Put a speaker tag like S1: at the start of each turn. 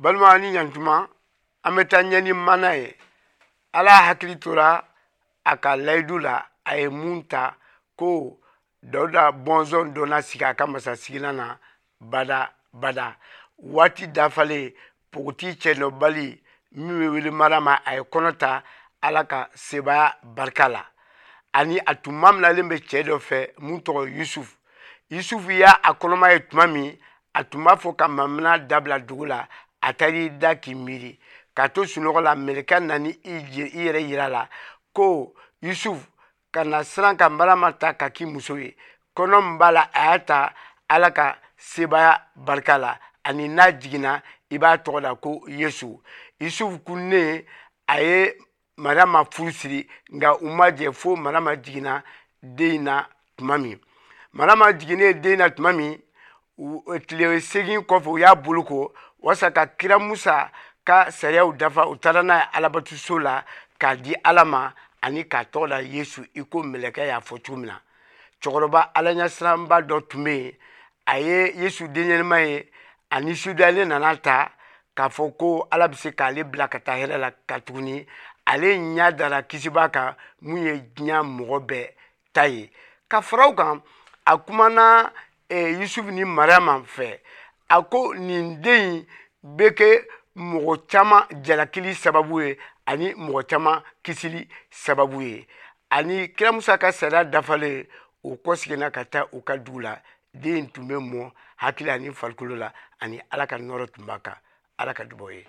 S1: Balima ni ɲantuma, an bɛ taa ɲɛ ni mana ye. Ala hakili tora a ka layidu la, a ye mun ta ko Dawuda bɔnsɔn dɔ na sigi a ka masasigilan na bada bada. Waati dafalen, npogotigi cɛnɔbali min bɛ wele Marama, a ye kɔnɔ ta Ala ka sebaaya barika la. Ani a tun maminalen bɛ cɛ dɔ fɛ mun tɔgɔ Yusufu. Yusufu y'a a kɔnɔma ye tuma min, a tun b'a fɔ ka mamina dabila dugu la, a taara i da k'i miiri. K'a to sunɔgɔ la, mɛlɛkɛ nana i yɛrɛ yira la ko Yusufu kana siran ka Marama ta ka k'i muso ye. Kɔnɔ min b'a la, a y'a ta Ala ka sebaaya barika la, ani n'a jiginna, i b'a tɔgɔ da ko Yesu. Yusufu kunnen, a ye Marama furu siri, nka u ma jɛ fo Marama jiginna den in na tuma min. Marama jiginnen den na tuma min, tile 8 kɔfɛ, u y'a boloko walasa ka kira Musa ka sariyaw dafa. U taara n'a ye Alabatoso la k'a di Ala ma ani k'a tɔgɔ da Yesu, i ko mɛlɛkɛ y'a fɔ cogo min na. Cɛkɔrɔba alaɲɛsiranba dɔ tun bɛ yen, a ye Yesu denyɛrɛma ye, a nisɔndiyalen nana ta k'a fɔ ko Ala bɛ se k'ale bila ka taa hɛrɛ la, ka tuguni ale ɲɛ dara kisibaa kan mun ye diɲɛ mɔgɔ bɛɛ ta ye. Ka fara o kan, a kumana Yusufu ni Mariyama fɛ, a ko nin den in bɛ kɛ mɔgɔ caman jalakili sababu ye ani mɔgɔ caman kisili sababu ye. Ani kira Musa ka sariya dafalen, o kɔseginna ka taa u ka dugu la. Den in tun bɛ mɔ hakili ani farikolo la, ani Ala ka nɔrɔ tun b'a kan. Ala ka dubaw ye.